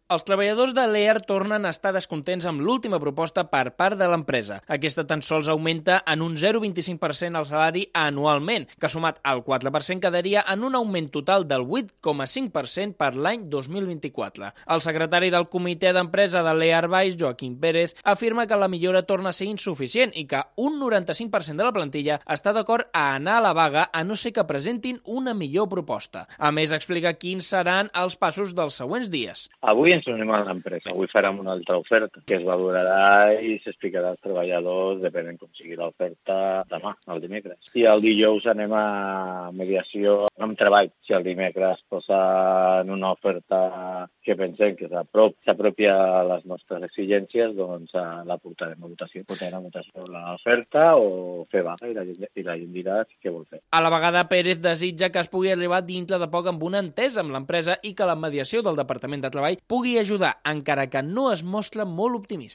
Els treballadors de l'EAR tornen a estar descontents amb l'última proposta per part de l'empresa. Aquesta tan sols augmenta en un 0,25% el salari anualment, que sumat al 4% quedaria en un augment total del 8,5% per l'any 2024. El secretari del comitè d'empresa de l'EAR Baix, Joaquim Pérez, afirma que la millora torna a ser insuficient i que un 95% de la plantilla està d'acord a anar a la vaga a no ser que presentin una millor proposta. A més, explica quins seran els passos dels següents dies. Avui ens unim a l'empresa. Avui farem una altra oferta que es valorarà i s'explicarà als treballadors depenent com sigui l'oferta demà, el dimecres. I el dijous anem a mediació amb treball. Si el dimecres posen una oferta que pensem que s'apropia a les nostres exigències, doncs la portarem a votació. Portarem a votació l'oferta o fer vaga i la gent dirà què vol fer. A la vegada, Pérez desitja que es pugui arribar dintre de poc amb una entesa amb l'empresa i que la mediació del Departament de Treball pugui ajudar, encara que no es mostra molt optimista.